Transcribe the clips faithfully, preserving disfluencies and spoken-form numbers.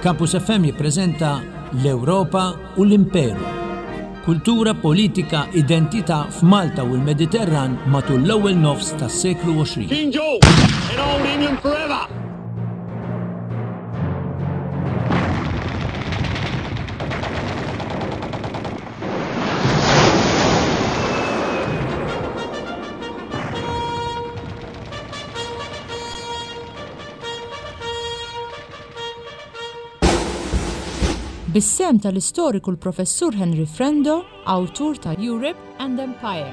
Campus F M jippreżenta L-Ewropa u l-Imperu. Kultura, politika, identità f'Malta u l-Mediterran matul l-ewwel nofs tas-seklu għoxrin. King George in Old England forever! Bis-sehem tal-istoriku l-Professur Henry Frendo, awtur ta' Europe and Empire.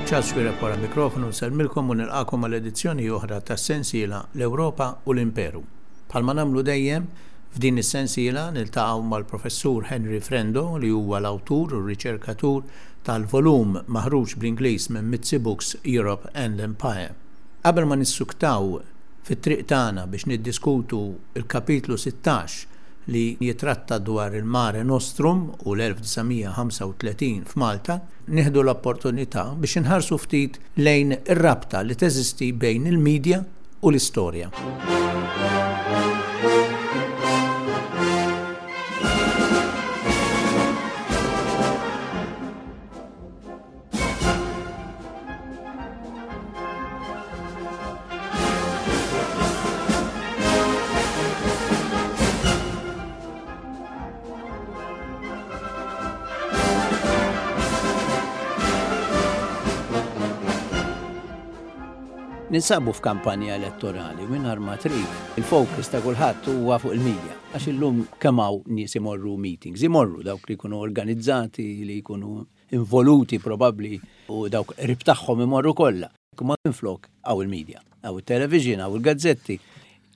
Charles Xuereb wara mikrofonu nsellmilkom u nilqakom għal edizzjoni oħra tas-sensiela L-Ewropa u l-Imperu. Bħalma nagħmlu dejjem, f'din is-sensiela niltaqgħu mal-Professur Henry Frendo, li huwa l-awtur u r-riċerkatur tal-volum maħruġ bl-Ingliż minn Mizzi Books, Europe and Empire. Qabel ma nissuktaw fit-triq tagħna biex niddiskutu il-kapitlu sittax li jitratta dwar il-Mare Nostrum u l-elf disa' mija u ħamsa u tletin f'Malta, nieħdu l-opportunità biex inħarsu ftit lejn ir-rabta li teżisti bejn il-medja u l-istorja. Ninsabu f'kampanja elettorali u mingħajr ma trid, il-fokus ta' kulħadd huwa fuq il-medja. Għax illum kemm hawn nies imorru meetings, imorru dawk li jkunu organizzati, li jkunu involuti probabbli, u dawk qrib tagħhom imorru kollha. Imma minflok hawn il-medja, hawn il-television, hawn il-gazzetti.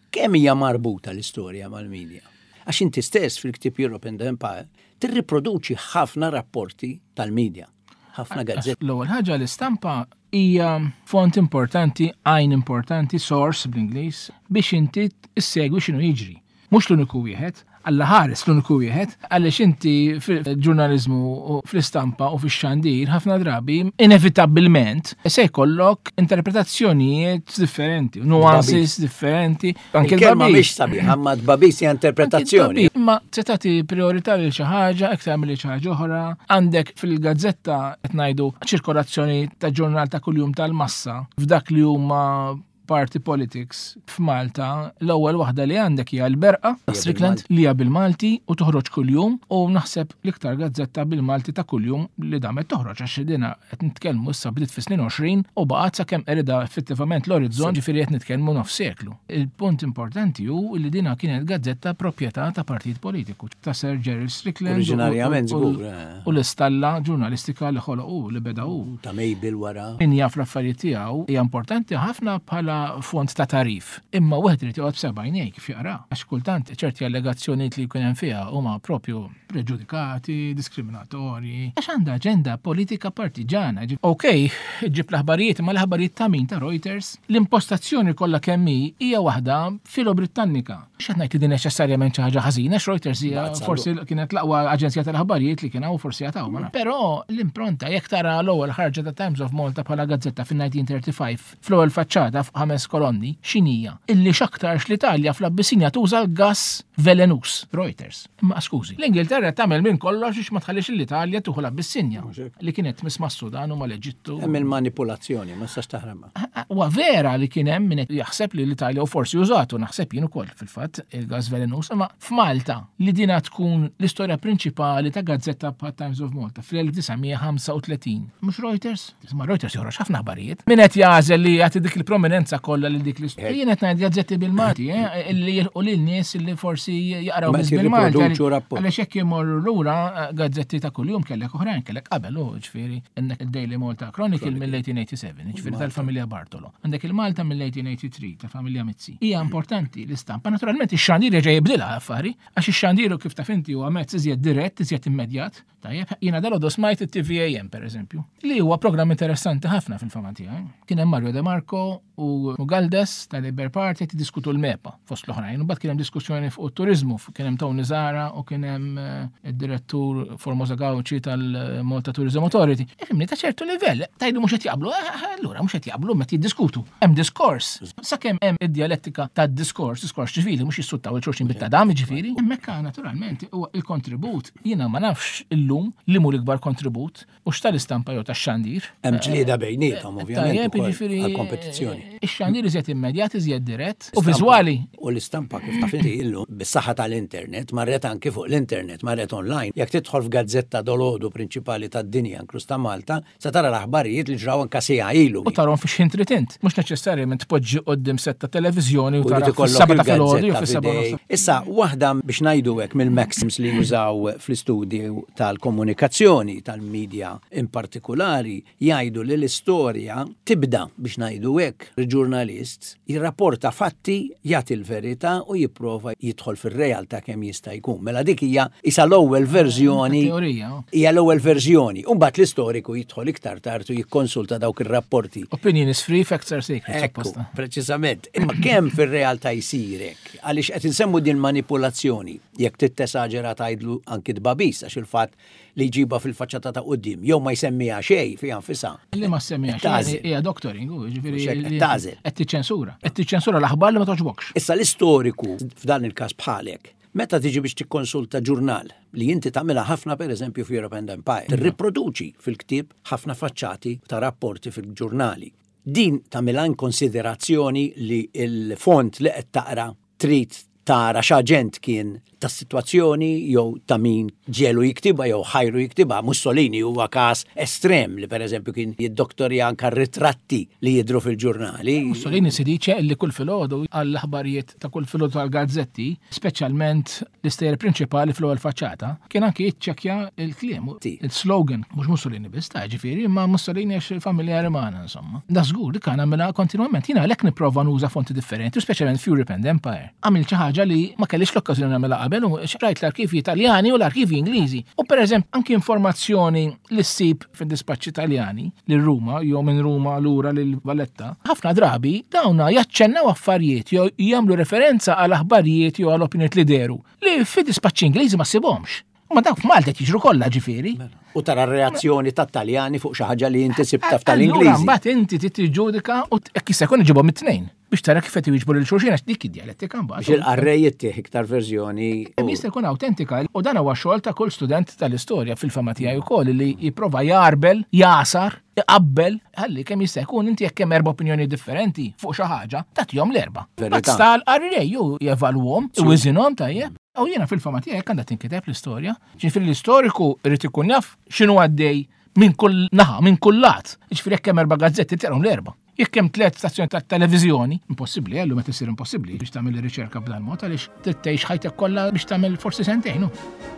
Kemm hija marbuta l-istorja mal-medja? Għax inti stess fil-ktieb Europe and the Empire tirriproduċi ħafna rapporti tal-medja, ħafna gazzetti. L-ewwel ħaġa, l-istampa hija font importanti, għajn importanti, source bl-Ingliż, biex inti issegwi x'inhu jiġri. Mhux l-uniku wieħed, Alla ħares l-uniku wieħed, għaliex inti fil-ġurnaliżmu u fl-istampa u fix-xandir ħafna drabi inevitabbilment se jkollok interpretazzjonijiet differenti, nuances differenti. Anke il-kelma mhix sabiħa, ma tbagħbis hija interpretazzjoni. Imma se tagħti priorità lil xi ħaġa iktar milli xi ħaġa oħra. Għandek fil-gazzetta, qed ngħidu, ċirkolazzjoni ta' ġurnal ta' kuljum tal-massa f'dak li huma party politics f'Malta, l-ewwel waħda li għandek hija l-Berqa Strickland, li hija bil-Malti u toħroġ kuljum u naħseb l-iktar gazzetta bil-Malti ta' kuljum li damet toħroġ, għax dina qed nitkellmu issa bdiet fis-snin għoxrin u baqgħet sakemm qeridha effettivament l-Orizzont, ġifieri qed nitkellmu nof seklu. Il-punt importanti hu li dina kienet gazzetta proprjetà ta' partit politiku ta' Sir Gerald Strickland. Oriġinarjament żgur. Eh. U l-istalla ġurnalistika li ħoloq u li beda hu. Ta' Mabel wara. Min jaf l-affarijiet tiegħu, hija importanti ħafna bħala font ta' tagħrif. Imma wieħed irid joqgħod b'seba' għajnejn kif jaqra. Għax kultant ċerti allegazzjonijiet li jkun hemm fiha huma propju preġudikati, diskriminatorji. Għax għandha aġenda politika partiġana. Ok, ġib l-aħbarijiet, ma l-aħbarijiet ta' min? Ta' Reuters? L-impostazzjoni kollha kemm hi hija waħda filo-Britannika. X'qed ngħid li din neċessarjament xi ħaġa ħażina, għax Reuters hija forsi kienet l-aqwa aġenzija tal-aħbarijiet li kien hawn, forsi għataw. Però l-impronta, jekk tara l-ewwel ħarġa ta' Times of Malta bħala gazzetta fin-elf disa' mija u tlieta u tletin, fl-ewwel faċċata fuq ħames kolonni, x'inhija? Illi x'aktarx l-Italja fl-Abbissinja tuża l-gas velenuż. Reuters. Imma skużi, l-Ingilterra tagħmel minn kollox biex ma tħallix l-Italja tuħu l-Abbissinja li kienet tmiss mas-Sudan u mal-Eġittu. Hemm il-manipolazzjoni, ma tistax taħrabha. Huwa vera li kien hemm min jaħseb li l-Italja u forsi użatu, naħseb jien ukoll fil-fatt, il-gas velenuż, imma f'Malta li dina tkun l-istorja prinċipali ta' gazzetta bħal Times of Malta fl-elf disa' mija u ħamsa u tletin. Mhux Reuters? Isma', Reuters joħroġ ħafna aħbarijiet. Min qed jagħżel li jagħti dik il-prominenza kollha lil dik l-istorja? Jien qed ngħid gazzetti bil-Malti, eh, illi jilħqu lil nies illi forsi jaqraw Ma biss bil-Malti. Jirriproduċu rapport. Għaliex jekk imorru lura eh, gazzetti ta' kuljum kellek oħrajn, kellek qabel u ġifieri għandek il-Daily Malta Chronicle mill-elf disa' mija u sebgħa u tmenin, ġifieri tal-familja Bartolo. Għandek il-Malta mill-elf disa' mija u tlieta u tmenin ta' familja Mizzi. Hija importanti l-istampa. Naturalment ix-xandir reġa' jibdilha affari, għax ix-xandiru, kif taf inti, huwa mezz iżjed dirett, iżjed immedjat. Tajjeb, jiena dalgħodu smajt it-T V A M pereżempju, li huwa programm interessanti ħafna fil-fama tiegħi. Kien hemm Mario De Marco u Galdes tal-Labour Party qed jiddiskutu l-MEPA fost l-oħrajn. U mbagħad kien hemm diskussjoni fuq it-turiżmu, kien hemm Tony Zara u kien hemm, eh, id-direttur Formosa Gauci tal-Malta Tourism Authority. Ifhimni, ta' ċertu livell, tgħidu mhux qed jaqblu, eh, eh, allura mhux qed jaqblu meta jiddiskutu. Hemm diskors. Sakemm hemm id-dialettika tad-diskors, diskors ċivili, mhux jissuttaw il-xulxin bit-tadam, ġifieri. Hemmhekk naturalment huwa il-kontribut, jiena ma nafx illum li mhu l-ikbar kontribut u x'tal-istampa jew tax-xandir. Hemm ġlieda bejniethom, ovvjament, Tajjeb, ukoll jiġifieri, għall-kompetizzjoni. Ix-xandir iżjed immedjat, iżjed dirett u Istampa. viżwali. U l-istampa kif taf inti illum bis-saħħa tal-internet marret anki fuq l-internet, marret online. Jekk tidħol f'gazzetta dolodu prinċipali tad-dinja, inkluż ta' Malta, se tara l-aħbarijiet li ġraw anke siegħa ilu. U tarhom fi xħin trid int. Mhux neċessarjament tpoġġi quddiem setta televiżjoni u U tara jrid ikollok fis-seba' ta' filgħodu jew il-gazzetta fis-seba' f'idejk. nofs. Issa, waħda biex ngħidu hekk mill-maxims li jużaw fl-istudju tal-komunikazzjoni, tal-medja in partikolari, jgħidu li l-istorja tibda biex ngħidu hekk. Il-ġurnalist jirrapporta fatti, jagħti l-verità u jipprova jidħol fir-realtà kemm jista' jkun. Mela dik hija isa l-ewwel verżjoni. Teorija, oh. Hija l-ewwel verżjoni. U mbagħad l-istoriku jidħol iktar tard u jikkonsulta dawk ir-rapporti. Opinion is free, facts are sacred, Ekku, supposta. preċiżament. Imma kemm fir-realtà jsirek? Għaliex qed insemmu din manipulazzjoni, jekk tittesaġera tgħidlu anki tbabis, għax il-fatt li jġibha fil-faċċata ta' quddiem, jew ma jsemmiha xejn fiha nfisha. Li ma semmiha xejn, Tagħżel. hija doctoring, u jiġifieri Mhux hekk, li tagħżel. qed tiċċensura. Qed tiċċensura l-aħbar li ma toġbokx. Issa l-istoriku f'dan il-każ bħalek, meta tiġi biex tikkonsulta ġurnal li inti tagħmilha ħafna pereżempju f'Europe and Empire, tirriproduċi fil-ktieb ħafna faċċati ta' rapporti fil-ġurnali. Din tagħmilha in konsiderazzjoni li l-font li qed taqra trid tara x'aġent kien tas-sitwazzjoni jew ta' min ġelu jiktibha jew ħajru jiktibha. Mussolini huwa każ estrem li pereżempju kien jiddoktorja anke ritratti li jidhru fil-ġurnali. Mussolini si dice li kull filgħodu għall-aħbarijiet ta' kull filgħodu tal-gazzetti, speċjalment l-istejjer prinċipali fl-ewwel faċċata, kien anke jiċċekkja il-kliem, Sì. il-slogan, mhux Mussolini biss ta' ġifieri, imma Mussolini għax familjari magħna insomma. Da żgur li kan għamilha kontinwament. Jiena għalhekk nipprova nuża fonti differenti, u speċjalment f'Europe and Empire. Għamil xi ħaġa li ma kellix l-okkażjoni nagħmilha qabel u xrajt l-arkivi Italjani u l-arkivi Ingliżi. U pereżempju anki informazzjoni li ssib fid-dispaċċi Italjani lil Ruma jew minn Ruma lura lil Valletta, ħafna drabi dawna jaċċennaw affarijiet jew jagħmlu referenza għal aħbarijiet jew għal opinjonijiet li deru li fid-dispaċċi Ingliżi ma ssibhomx. Ma dawk f'Malta qed jiġru kollha ġifieri. U tara r-reazzjoni tat-Taljani fuq xi ħaġa li inti sibta Allura f'tal-Ingliżi. mbagħad inti trid tiġġudika u t-, jekk jista' jkun iġibhom it-tnejn biex tara kif qed jiġbu lil xulxin għax dik id-dialettika mbagħad. Biex il-qarrej jittieħ iktar verżjoni. Kemm jista' jkun autentika u dan huwa xogħol ta' kull student tal-istorja fil-fama tiegħi wkoll li jipprova jarbel, jasar, iqabbel, ħalli kemm jista' jkun inti jekk hemm erba' opinjoni differenti fuq xi ħaġa, tagħtihom l-erba'. Verità. Mbagħad sta l-qarrej ju jevalwhom, iwiżinhom tajjeb. U jiena fil-fama tiegħek għandha tinkiteb l-istorja. Ġifieri l-istoriku irid ikun jaf x'inhu għaddej minn kull naħa, minn kull lat. Ġifieri jekk hemm erba' gazzetti taqrahom l-erba'. Jekk hemm tliet stazzjoni ta' televiżjoni, impossibbli, għallu meta ssir impossibbli biex tagħmel ir-riċerka b'dan mod għaliex trid tgħix ħajtek kollha biex tagħmel forsi sentejn. hu.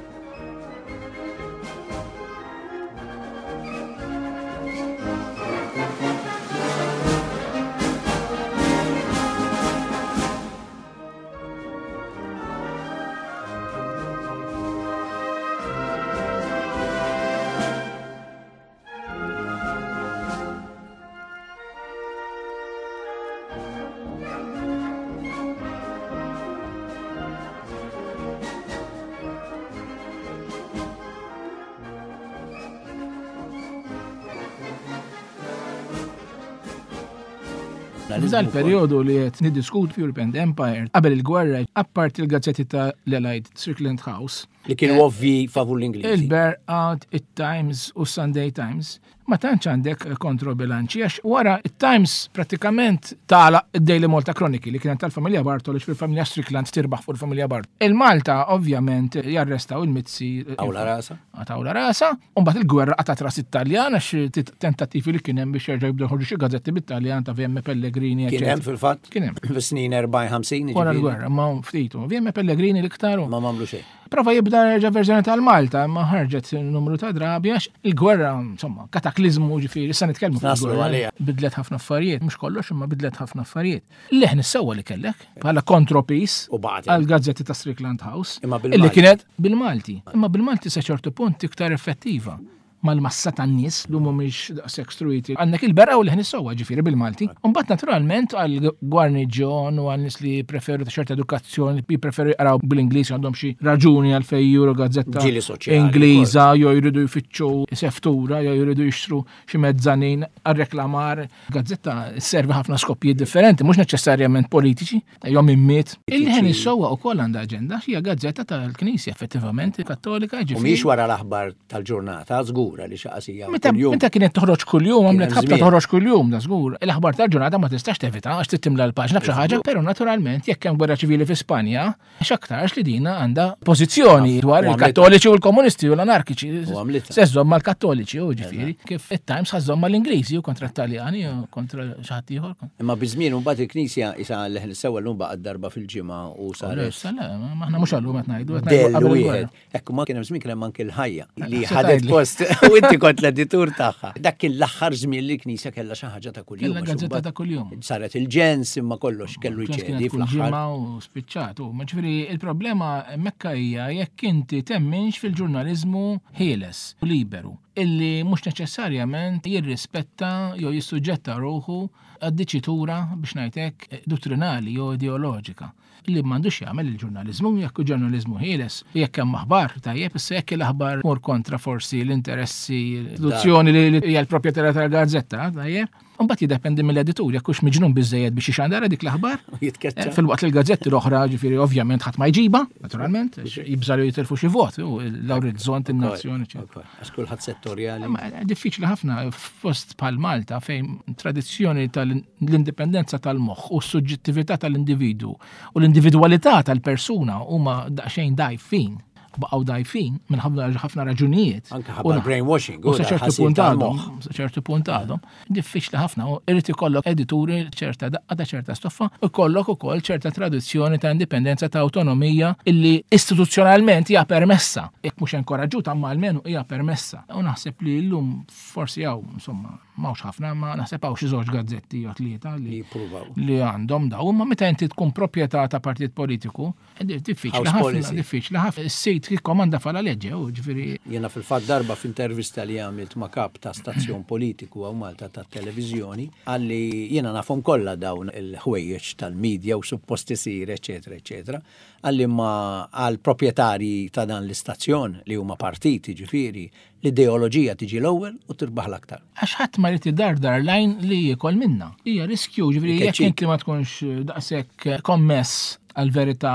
F'dan il-perjodu li qed niddiskutu f'Europe and Empire, qabel il-gwerra, apparti il-gazzetti ta' l-Allied Strickland House, Li kienu ovvi favur l-Ingliżi. Il-Berqat, il-Times u Sunday Times, ma tantx għandek kontrobilanċi, għax wara il-Times pratikament tala il-Daily Malta Chronicle li kienet tal-familja Bartoli, fil-familja Strickland tirbaħ fuq il-familja Bartoli. Il-Malta ovvjament jarrestaw il-Mizzi. Għawla rasa. Għatawla rasa, u mbagħad il-gwerra qatat ras it-Taljan għax tit-, tentattivi li kien hemm biex jerġgħu jibdew joħorġu xi gazzetti bit-Taljan ta' V M Pellegrini, Kien hemm eccetera. fil-fatt? Kien hemm. Fis-snin erbgħin ħamsin, Wara jiġifieri. l-gwerra, ma ftitu. V M Pellegrini l-iktar u Ma m'għamlu xejn. Prova jibda reġa' verżjoni tal-Malta, imma ħarġet numru ta' drabi għax il-gwerra, insomma, kataklizmu ġifieri, issa nitkellmu fuq Naslu il-gwerra. għaliha. Bidlet ħafna affarijiet, mhux kollox imma bidlet ħafna affarijiet. Leħen is-sewwa li kellek bħala kontropis U baqgħet. għal gazzetti ta' Strickland House. Imma bil-Malti. Illi kienet bil-Malti. Imma bil-Malti sa ċertu punt iktar effettiva mal-massa tan-nies li mhumiex daqshekk struiti. Għandek il-berqa u l-ħin is-sewwa ġifieri bil-Malti. Imbagħad naturalment għal gwarniġjon u għal nies li preferu ta' ċerta edukazzjoni, li preferu jqraw bil-Ingliż għandhom xi raġuni għal fejn juru gazzetta Ġieli soċjali Ingliża jew jridu jfittxu seftura jew jridu jixtru xi mezzanin għar-reklamar. Gazzetta servi ħafna skopijiet differenti, mhux neċessarjament politiċi, jew immiet. Il-ħin is-sewwa wkoll għandha aġenda, hija gazzetta tal-Knisja effettivament kattolika U ġifieri. mhix wara l-aħbar tal-ġurnata, żgur li xaqasija Meta kuljum. meta kienet toħroġ kuljum, għamlet Kien hemm ħabta żmien. toħroġ kuljum, da żgur. L-aħbar tal-ġurnata ma tistax tevita għax trid timla l-paġna b'xi ħaġa, però naturalment jekk hemm gwerra ċivili fi Spanja, x'aktarx li dina għandha pożizzjoni dwar U għamlitha. il-Kattoliċi u l-Komunisti u l-Anarkiċi. U għamlitha. Se żżomm mal-Kattoliċi u ġifieri, kif it-Times ħa żżomm mal-Ingliżi u kontra t-Taljani u kontra xi ħadd ieħor. Imma biż-żmien mbagħad il-Knisja isa leħen sewwa llum baqgħet darba fil-ġimgħa u saret Issa le, ma aħna mhux għallum qed ngħidu, qed ngħidu Del qabel il-gwerra. wieħed. Ekku ma kien hemm żmien kien hemm anke l-ħajja li Se ħadet tgħidli. post u inti kont l-editur tagħha. Dak kien l-aħħar żmien li l-Knisja kellha xi ħaġa ta' kuljum. Kellha għax gazzetta imbagħad ta' kuljum. Saret il-ġens imma kollox kellu Kienet jċedi kull fl-aħħar. ġimgħa u spiċċat. U ma ġifieri il-problema mekka hija jekk inti temminx fil-ġurnaliżmu ħieles u liberu illi mhux neċessarjament jirrispetta jew jissuġġetta ruħu għad-diċitura biex ngħidlek dottrinali jew ideoloġika li m'għandux jagħmel il-ġurnaliżmu jekk hu ġurnaliżmu ħieles jekk hemm aħbar tajjeb issa jekk l-aħbar mur kontra forsi l-interessi l-istituzzjoni li li hija l-proprjetarja tal-gazzetta tajjeb Mbagħad jiddependi mill-editur jekk hux miġnun biżejjed biex ixandara dik l-aħbar. U jitkeċċa. Eh, Fil-waqt li l-gazzetti l-oħra ġifieri ovvjament ħadd ma jġiba, naturalment, għax jibżalu jitilfu xi vot, u l-orizzont in-nazzjoni. eċetera. Ukoll, Għax kulħadd settorjali. Ma diffiċli ħafna f'post bħal Malta fejn tradizzjoni tal-indipendenza tal-moħħ u s-suġġettività tal-individu u l-individwalità tal-persuna huma daqsxejn dajfin, baqgħu dajfin minn ħafna ħafna raġunijiet. Anke U ħabba na- brainwashing, U u sa da ċertu ħasil punt għadhom, tal-moħħ. sa ċertu punt għadhom, diffiċli ħafna u irid ikollok edituri ċerta daqqa ta' ċerta stoffa u jkollok ukoll ċerta tradizzjoni ta' indipendenza ta' autonomija illi istituzzjonalment hija permessa. Jekk mhux inkoraġġuta imma almenu hija permessa. U naħseb li llum forsi hawn insomma m'hawnx ħafna, ma naħseb hawn xi żewġ gazzetti jew tlieta Li li jippruvaw. li għandhom daw, imma meta inti tkun proprjetà ta' partit politiku, eh, diffiċli House ħafna, policy. diffiċli ħafna. Is-sit jikkomanda fala leġe, u ġifieri Jena fil-fatt darba f'intervista li għamilt ma' kap ta' stazzjon politiku għaw Malta ta' televizjoni, għalli jena nafhom kollha dawn il-ħwejjeġ tal-medja u suppost isir, eċetera, eċetera, għalli ma għal proprjetarji ta' dan l-istazzjon li huma partiti ġifieri, l-ideoloġija tiġi l-ewwel u tirbaħ l-aktar. Għax ħadd ma jrid idardar lajn li jiekol minna. Hija riskju, ġifieri jekk Ikeċċik. inti ma tkunx daqshekk kommess għal-verità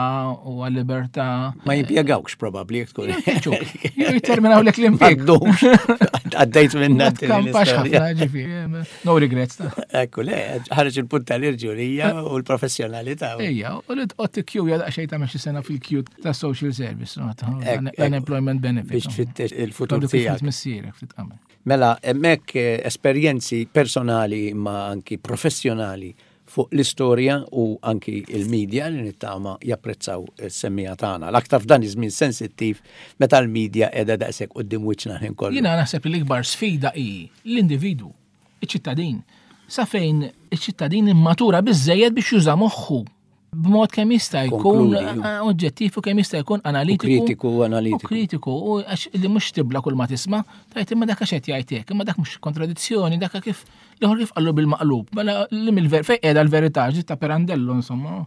u għal-libertà. Ma jimpjegawx probabbli jekk tkun. Jkeċċuk. Jew jitterminaw lek l-impjeg. Għaddux. Għaddejt minna Ma din tkampax l-istorja. ħafna ġifieri. No regrets. ta. Ekku, le, ħareġ il-punt tal-irġulija u l-professjonalità. Ejja, u li tqgħod tikkjuja daqsxejn tagħmel xi sena fil-kju ta' social service, no, ta' Ek, ek, unemployment benefit. Biex tfittex il-futur Għadu kif tiegħek. missierek ftit qabel. Mela, hemmhekk eh, esperjenzi personali ma anki professjonali fuq l-istorja u anki il-medja li nittama japprezzaw is-semmija tagħna. L-aktar f'dan iż-żmien sensittiv meta l-medja qiegħda daqshekk quddiem wiċċna ħin kollu. Jiena naħseb li l-ikbar sfida hi l-individwu, iċ-ċittadin. Sa fejn iċ-ċittadin immatura biżejjed biex juża moħħu b'mod kemm jista' jkun Konkludi, eh, oġġettiv u kemm jista' jkun analitiku. U kritiku u analitiku. U kritiku, u għax li mhux tibla kull ma tisma', tajt imma dak għax qed jgħid hekk, imma dak mhux kontradizzjoni, dak kif l-ieħor kif qallu bil-maqlub. Mela li mill-ver fejn qiegħda l-verità, ġiet ta' Pirandello insomma.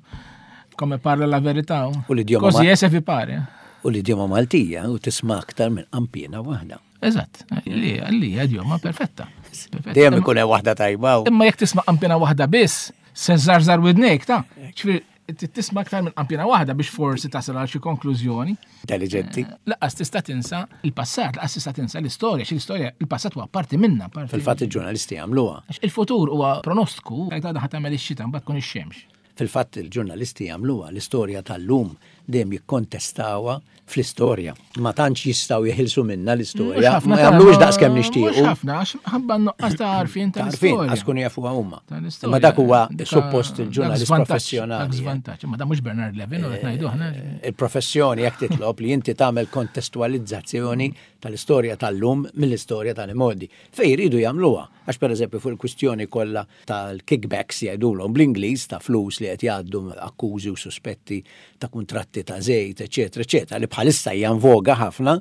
Come parla la verità. U l-idjoma Così ma- è se vi pare. U l-idjoma Maltija u tisma' aktar minn qampina waħda. Eżatt, li li idjoma perfetta. Perfetta. Dejjem ikun hemm waħda tajba u Imma jekk tisma' qampina waħda biss, se żarżar widnejk ta' ġifieri tisma' aktar minn qampina waħda biex forsi tasal għal xi konklużjoni. intelligenti. Laqas tista' tinsa il-passat, laqas tista' tinsa l-istorja, xi l-istorja il-passat huwa parti minna, parti. Fil-fatt il-ġurnalisti jagħmluha. Għax il-futur huwa pronostiku, għajt għadha ħa tagħmel ix-xita mbagħad tkun ix-xemx. Fil-fatt il-ġurnalisti jagħmluha l-istorja tal-lum dejjem jikkontestawha fl-istorja. Ma tantx jistgħu jeħilsu minna l-istorja, ma jagħmlux daqskemm nixtiequ. Mhux ħafna, għax ħabba nuqqas ta' għarfien tal-istorja. Għax kunu jafuha huma. Ma dak huwa suppost il-ġurnalist professjonali. Dak żvantaġġ, ma dan mhux Bernard Levin u qed ngħidu aħna. Il-professjoni jekk titlob li inti tagħmel kontestualizzazzjoni tal-istorja tal-lum mill-istorja tal-imgħoddi. Fejn jridu jagħmluha, għax pereżempju fuq il-kwistjoni kollha tal-kickbacks jgħidulhom bl-Ingliż ta' flus li qed jgħaddu akkużi u suspetti ta' kuntratti ta' żejt, eċetera, eċetera, li bħalissa hija voga ħafna,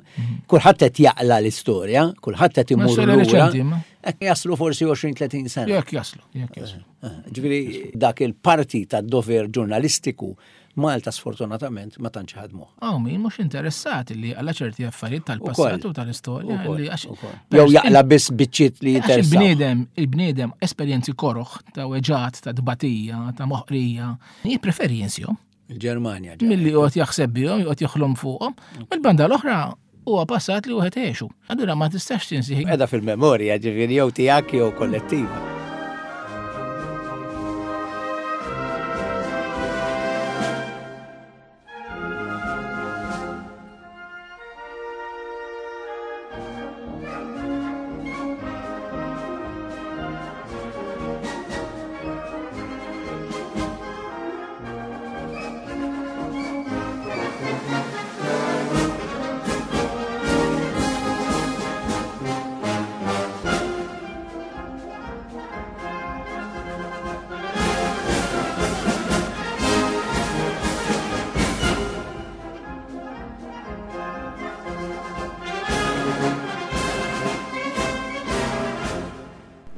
kulħadd qed jaqla l-istorja, kulħadd qed imur lura. Hekk jaslu forsi għoxrin tletin sena. Jekk jaslu, jekk jaslu. Ġifieri dak il-parti tad-dover ġurnalistiku Malta sfortunatament ma tantx ħadmuh. Aw min mhux interessat li għala ċerti affarijiet tal-passat u tal-istorja li għax jew jaqla biss biċċiet li jinteressaw. Il-bniedem, il-bniedem esperjenzi koroħ ta' weġat, ta' tbatija, ta' moħqrija, jippreferi jinsihom. Il-Ġermanja. Milli joqgħod jaħseb bihom, joqgħod joħlom fuqhom. Mill-banda l-oħra huwa passat li wieħed għexu. Allura ma tistax tinsih. Qiegħda fil-memorja, ġifieri jew tiegħek jew kollettiva.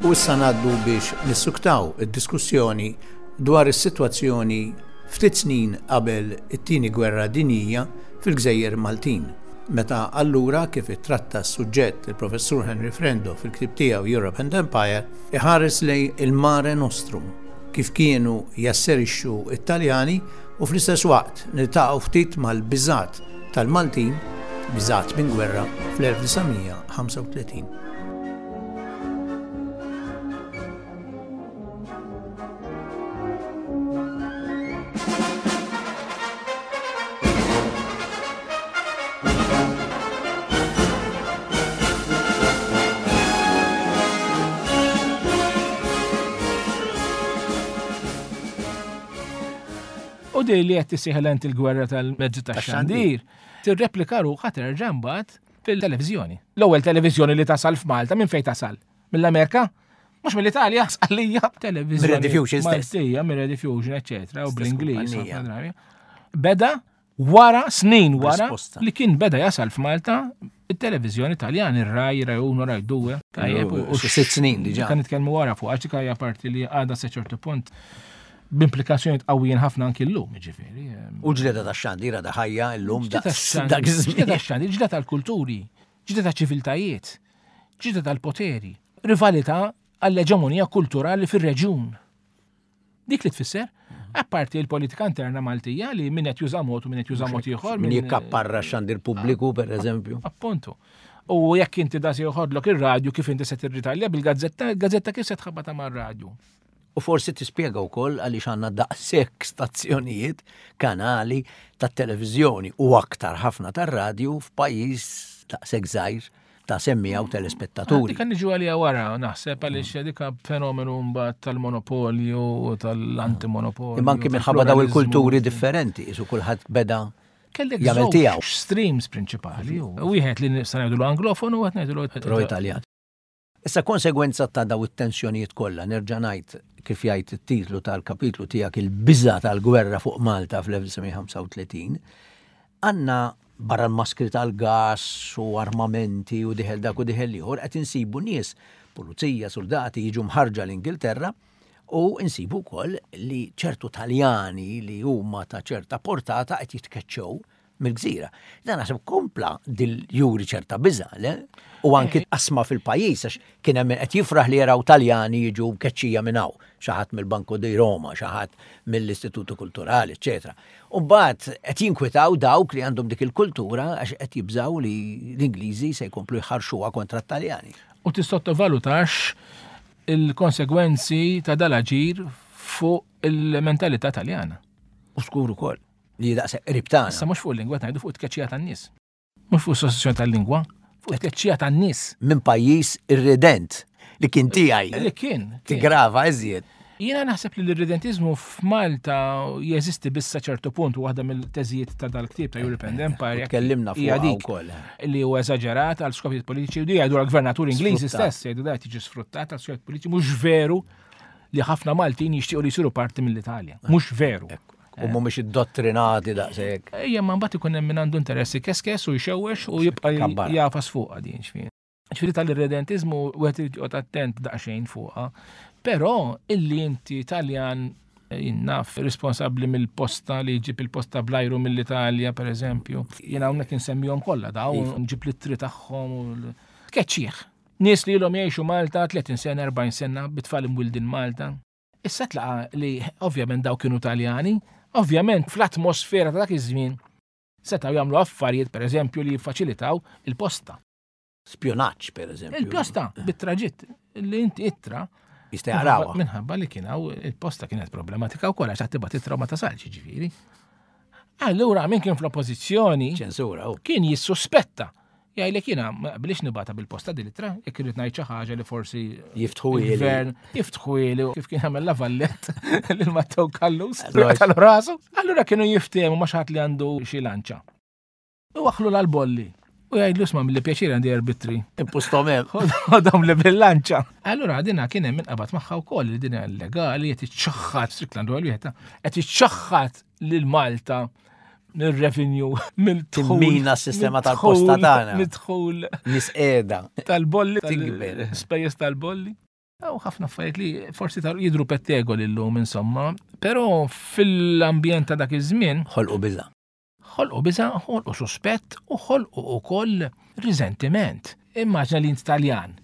U issa ngħaddu biex nissuktaw id-diskussjoni dwar is-sitwazzjoni ftit snin qabel it-tieni gwerra dinjija fil-Gżejjer Maltin. Meta allura kif ittratta s-suġġett il-Professur Henry Frendo fil-ktieb tiegħu Europe and Empire, iħares lejn il-Mare Nostrum, kif kienu jasserixxu it-Taljani u fl-istess waqt niltaqgħu ftit mal-biżgħat tal-Maltin, biżgħat minn gwerra fl-elf disa' mija ħamsa u tletin. U di li qed tisieħel int il-gwerra tal-mezzi tax-xandir, tirreplika ruħha terġa' mbagħad fil-televiżjoni. L-ewwel televiżjoni li tasal f'Malta minn fejn tasal? Mill-Amerika? Mhux mill-Italja, sqallija, televiżjoni. Mir-Rediffusion stess. Maltija, mir-Rediffusion, eċetera, u bl-Ingliż, Stess kumpanija. ħafna drabi. Beda wara, snin wara, Risposta. li kien beda jasal f'Malta it-televiżjoni Taljan, ir-Rai, Rai uno, Rai due. Tajjeb, u Xi sitt snin diġà. Kan nitkellmu wara fuq, għax dik hija parti li għadha sa ċertu punt b'implikazzjonijiet qawwijin ħafna anki llum, jiġifieri. U ġlieda tax-xandir għadha ħajja llum Ġlieda daqs tax-xandir, dak iż-żmien. ġlieda tax-xandir, ġlieda tal-kulturi, ġlieda taċ-ċiviltajiet, ġlieda tal-poteri, rivalità għall-eġemonija kulturali fir-reġjun. Dik li tfisser, apparti l-politika interna Maltija li min qed juża mod u min qed juża mod ieħor, Min min jikkapparra x-xandir pubbliku, per eżempju. Appuntu. U jekk inti da se joħodlok ir-radju kif inti se tirritalja bil-gazzetta, il-gazzetta kif se tħabbata mar-radju. U forsi tispjega wkoll għaliex għandna daqshekk stazzjonijiet, kanali tat-televiżjoni u aktar ħafna tar-radju f'pajjiż daqshekk żgħir ta' semmija u telespettaturi. Dik niġu għalija wara, naħseb għaliex dik fenomenu mbagħad tal-monopolju u tal-antimonopolju. Imma anki minħabba daw tal-pluralizmu. il-kulturi differenti, isu kulħadd beda Kellek jagħmel żewġ tiegħu. streams prinċipali. Wieħed li nista' ngħidulu anglofonu u wieħed ngħidulu Pro-Italjan. Issa konsegwenza ta' daw it-tensjonijiet kollha, nerġa' ngħid kif jgħid it-titlu tal-kapitlu tiegħek il-biża' tal-gwerra fuq Malta fl-elf disa' mija ħamsa u tletin, għandna barra l-maskri tal-gas u armamenti u diħel dak u diħel ieħor, qed insibu nies, pulizija, soldati jiġu mħarġa l-Ingilterra u insibu wkoll li ċertu Taljani li huma ta' ċerta portata qed jitkeċċew mill-gżira. Dan naħseb kompla dil-juri ċerta biża', le? U anki qasma fil-pajjiż, għax kien hemm qed jifraħ li jaraw Taljani jiġu mkeċċija minn hawn, xi ħadd mill-Banco di Roma, xi ħadd mill-Istituto Kulturali, eċetera. U mbagħad qed jinkwitaw dawk li għandhom dik il-kultura għax qed jibżgħu li l-Ingliżi se jkomplu jħarxuha kontra t-Taljani. U tissottovalutax il-konsegwenzi ta' dal-aġir fuq il-mentalità Taljana. U skur ukoll. Li daqshekk qrib tagħna. Issa mhux fuq il-lingwa ngħidu fuq it-tkeċċija tan-nies. Mhux fuq sostituzzjoni tal-lingwa, fuq it-tkeċċija tan-nies. Minn pajjiż irredent li kien tiegħi. Li kien. Tigrava iżjed. Jiena naħseb li l-irredentizmu f'Malta jeżisti biss sa ċertu punt u waħda mill-teżijiet ta' dal-ktieb ta' Europe and Empire. Tkellimna fuq ukoll. Li huwa eżaġerat għal skopijiet politiċi u di jgħidu għal-gvernatur Ingliżi stess jgħidu da tiġi sfruttat għal skopijiet politiċi mhux veru li ħafna Maltin jixtiequ li jsiru parti mill-Italja. Mhux veru. U mhumiex iddottrinati daqshekk. Ejja, ma mbagħad ikun hemm min għandu interessi keskes u jxewwex u jibqa' jafas fuqha din xfien. Ġifieri tal-irredentizmu wieħed irid joqgħod attent daqsxejn fuqha. Però illi inti Taljan jinnaf responsabbli mill-posta li jġib il-posta blajru mill-Italja, per eżempju. Jiena hawnhekk insemmihom kollha daw, nġib l-ittri tagħhom u tkeċċih. Nies li ilhom jgħixu Malta tletin sena, erbgħin sena, bit-tfal imwildin Malta. Issa tlaqa li ovvjament daw kienu Taljani, ovvjament fl-atmosfera ta' dak iż-żmien setgħu jagħmlu affarijiet pereżempju li jiffaċilitaw il-posta. Spjonaġġ pereżempju. Il-posta bit-traġitt li inti ittra Jista' jaqrawha. Minħabba li kien hawn il-posta kienet problematika wkoll għax tibgħat ittra ma tasalx jiġifieri. Allura min kien fl-oppożizzjoni ċensura kien jissuspetta. Jgħidlek jiena ma qbilix nibgħatha bil-posta din l-ittra, jekk irid ngħid xi ħaġa li forsi jiftħu il-gvern, jiftħu ili kif kien għamel la Vallett lil Matteo Callus tal rasu. Allura kienu jiftehmu ma' xi ħadd li għandu xi lanċa. U waħlu l-bolli. U jgħidlu isma' mill pjaċir għandi arbitri. Impustom hemm. Ħodhom li bil-lanċa. Allura dina kien hemm inqabad magħha wkoll li din illegali qed iċċaħħad Strickland u wieħed qed iċċaħħad lil Malta mir-revenue, mill-dħul. Timmina s-sistema tal-posta tagħna. Mid-dħul. Nies qiegħda. Tal-bolli. Tikber. Spejjeż tal-bolli. U ħafna affarijiet li forsi jidru pettegoli llum insomma, però fil-ambjent ta' dak iż-żmien ħolqu biża'. Ħolqu biża', ħolqu suspett u ħolqu ukoll riżentiment. Immaġna li int Taljan.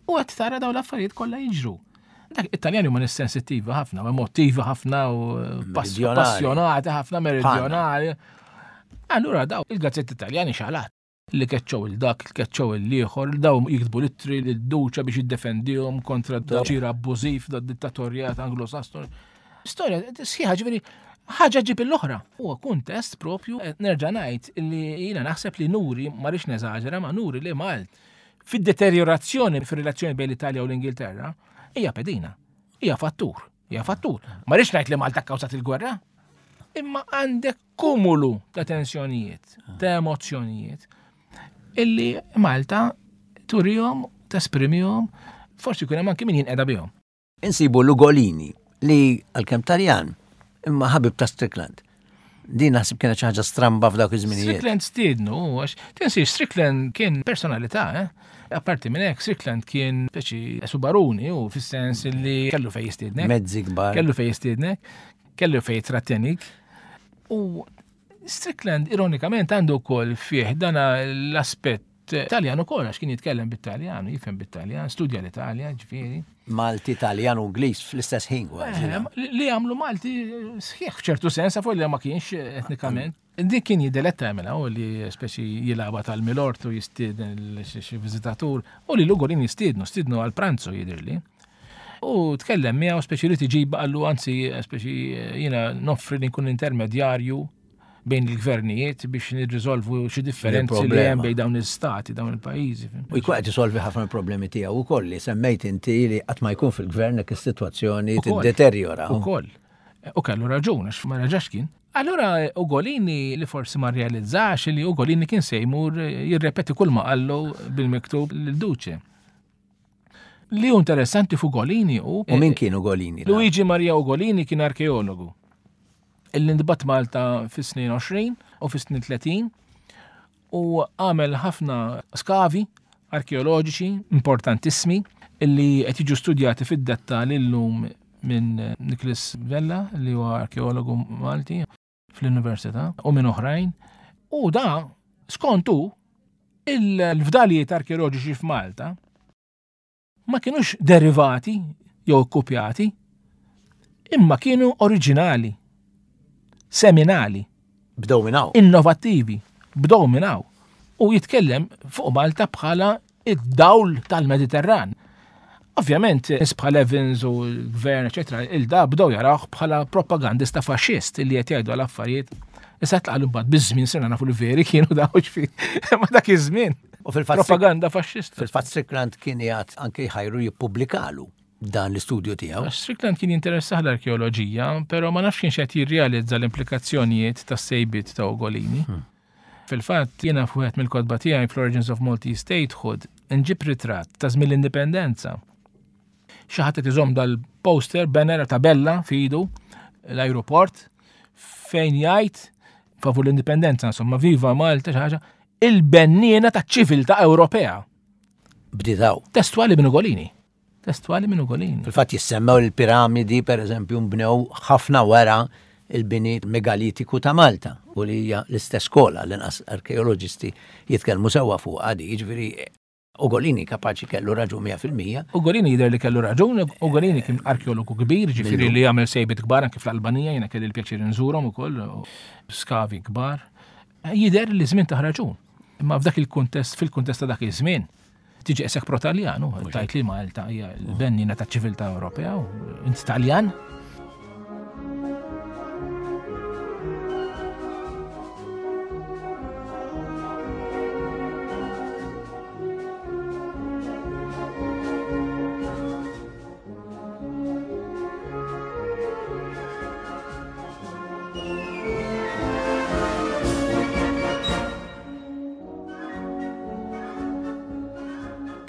U qed tara dawn l-affarijiet kollha jiġru. Dak it-Taljani huma nies sensittivi ħafna, emotivi ħafna u passjonati ħafna, meridjonali. Allura daw il-gazzetti Taljani xalat. Li keċċew il-dak, li keċċew il-ieħor, daw jiktbu l-ittri lid-duċa biex jiddefendihom kontra d-ċira abbużiv, da dittatorjat Anglo-Sassoni. Storja sħiħa ġifieri ħaġa ġib l-oħra. Huwa kuntest propju, nerġa' ngħid li jiena naħseb li nuri, ma rridx neżaġera, ma nuri li Malt fid-deteriorazzjoni fir-relazzjoni bejn l-Italja u l-Ingilterra hija pedina, hija fattur, hija fattur. Ma rridx ngħid li Malta kkawżat il-gwerra, imma għandek kumulu ta' tensjonijiet, ta' emozzjonijiet illi Malta turihom, tesprimihom, forsi jkun hemm anki min jinqeda bihom. Insibu Lugolini li għalkemm Taljan imma ħabib ta' Strickland. Din naħseb kienet xi ħaġa stramba f'dawk iż-żminijiet. Strickland stiednu, għax tinsiex Strickland kien personalità, eh? Apparti minn hekk Strickland kien speċi subaruni u fis-sens li kellu fejn jistiednek. Mezzi kbar. Kellu fejn jistiednek, kellu fejn jitrattenik. U Strickland ironikament għandu wkoll fih dana l-aspett Taljan ukoll għax kien jitkellem bit-Taljan, jifhem bit-Taljan, studja l-Italja, ġifieri. Malti, Taljan u Ingliż fl-istess ħin kważi. Li għamlu Malti sħiħ f'ċertu sens, fuq li ma kienx etnikament. Dik kien jiddeletta jagħmilha u li speċi jilagħba tal-Milort u jistieden xi viżitatur u li Lugolin jistiednu, stiednu għal pranzu jidhirli. U tkellem miegħu speċi li tiġib qallu anzi speċi jiena noffri li nkun intermedjarju bejn il-gvernijiet biex nirriżolvu xi differenzi li hemm bejn dawn l-istati, dawn il-pajjiżi. U jkun qed isolvi ħafna problemi tiegħu wkoll li semmejt inti li qatt ma jkun fil-gvern jekk is-sitwazzjoni tiddeterjora. Ukoll. U kellu raġun għax ma raġax kien. Allura Ugolini li forsi ma rrealizzax li Ugolini kien se jmur jirrepeti kull ma qallu bil-miktub lil Duce. Li hu interessanti f'Ugolini hu. U min kien Ugolini? Luigi Maria Ugolini kien arkeologu. Illi ntbagħat Malta fis-snin għoxrin u fis-snin tletin u għamel ħafna skavi arkeoloġiċi importantissimi illi qed jiġu studjati fid-dettall illum minn Nicholas Vella li huwa arkeologu Malti fl-Università u minn oħrajn. U da skontu il-fdalijiet arkeoloġiċi f'Malta ma kienux derivati jew kkupjati, imma kienu oriġinali, seminali. Bdew minn hawn. Innovattivi, bdew minn hawn. U jitkellem fuq Malta bħala id-dawl tal-Mediterran. Ovvjament, nies bħal Evans u l-gvern, eċetera, il-da bdew jarawh bħala propagandista faxxist li qed jgħidu għal affarijiet Issa tlaqlu mbagħad biż-żmien sirna nafu li veri kienu daw ġifieri. Ma dak iż-żmien. U fil-fatt Propaganda faxxista. Fil-fatt Strickland kien jgħat anke jħajru jippubblikalu dan l-istudju tiegħu. Għax Strickland kien jinteressah l-arkeoloġija, però ma nafx kienx qed jirrealizza l-implikazzjonijiet tas-sejbiet ta' Ugolini. Fil-fatt, jiena f'wieħed mill-kotba tiegħi fl-Origins of Maltese Statehood nġib ritratt ta' żmien l-indipendenza. Xi ħadd qed iżomm dal-poster, banner, tabella f'idu l-aeroport fejn jgħid favur l-indipendenza, insomma, viva Malta xi ħaġa, il-benniena taċ-ċiviltà Ewropea. Bdiet hawn. Testuali minn Ugolini. Testuali minn Ugolini. Fil-fatt jissemmew il-piramidi, per eżempju, nbnew ħafna wara il-bini megalitiku ta' Malta u li hija l-istess skola l-inqas arkeoloġisti jitkellmu sewwa fuq għadi, jiġifieri Ugolini kapaċi kellu raġun mija fil-mija. Ugolini jidher li kellu raġun, Ugolini kien arkeologu kbir, ġifieri li jagħmel sejbiet kbar anke fl-Albanija, jiena kelli l-pjaċir nżurhom ukoll, skavi kbar. Jidher li żmien ta' raġun. Imma f'dak il-kuntest, fil-kuntest ta' dak iż-żmien, tiġi qisek pro-Taljan, u tajt li Malta hija l-bennina ta' ċiviltà Ewropea, u int Taljan.